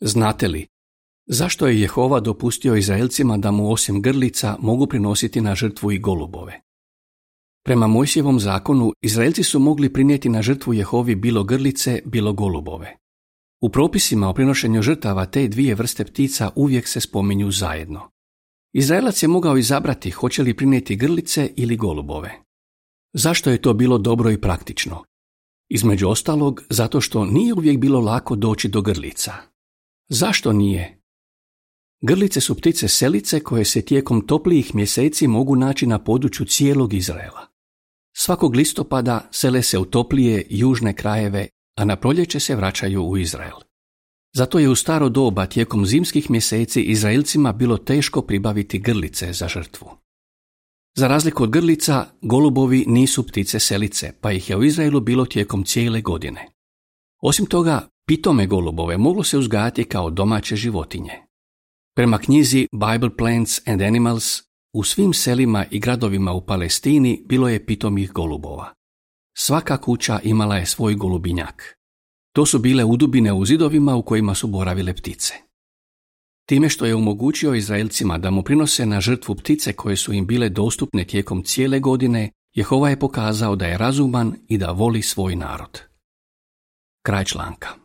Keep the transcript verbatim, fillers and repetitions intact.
Znate li, zašto je Jehova dopustio Izraelcima da mu osim grlica mogu prinositi na žrtvu i golubove? Prema Mojsijevom zakonu, Izraelci su mogli prinijeti na žrtvu Jehovi bilo grlice, bilo golubove. U propisima o prinošenju žrtava te dvije vrste ptica uvijek se spominju zajedno. Izraelac je mogao izabrati hoće li prinijeti grlice ili golubove. Zašto je to bilo dobro i praktično? Između ostalog, zato što nije uvijek bilo lako doći do grlica. Zašto nije? Grlice su ptice selice koje se tijekom toplijih mjeseci mogu naći na području cijelog Izraela. Svakog listopada sele se u toplije južne krajeve, a na proljeće se vraćaju u Izrael. Zato je u staro doba tijekom zimskih mjeseci Izraelcima bilo teško pribaviti grlice za žrtvu. Za razliku od grlica, golubovi nisu ptice selice, pa ih je u Izraelu bilo tijekom cijele godine. Osim toga, pitome golubove moglo se uzgajati kao domaće životinje. Prema knjizi Bible Plants and Animals, u svim selima i gradovima u Palestini bilo je pitomih golubova. Svaka kuća imala je svoj golubinjak. To su bile udubine u zidovima u kojima su boravile ptice. Time što je omogućio Izraelcima da mu prinose na žrtvu ptice koje su im bile dostupne tijekom cijele godine, Jehova je pokazao da je razuman i da voli svoj narod. Kraj članka.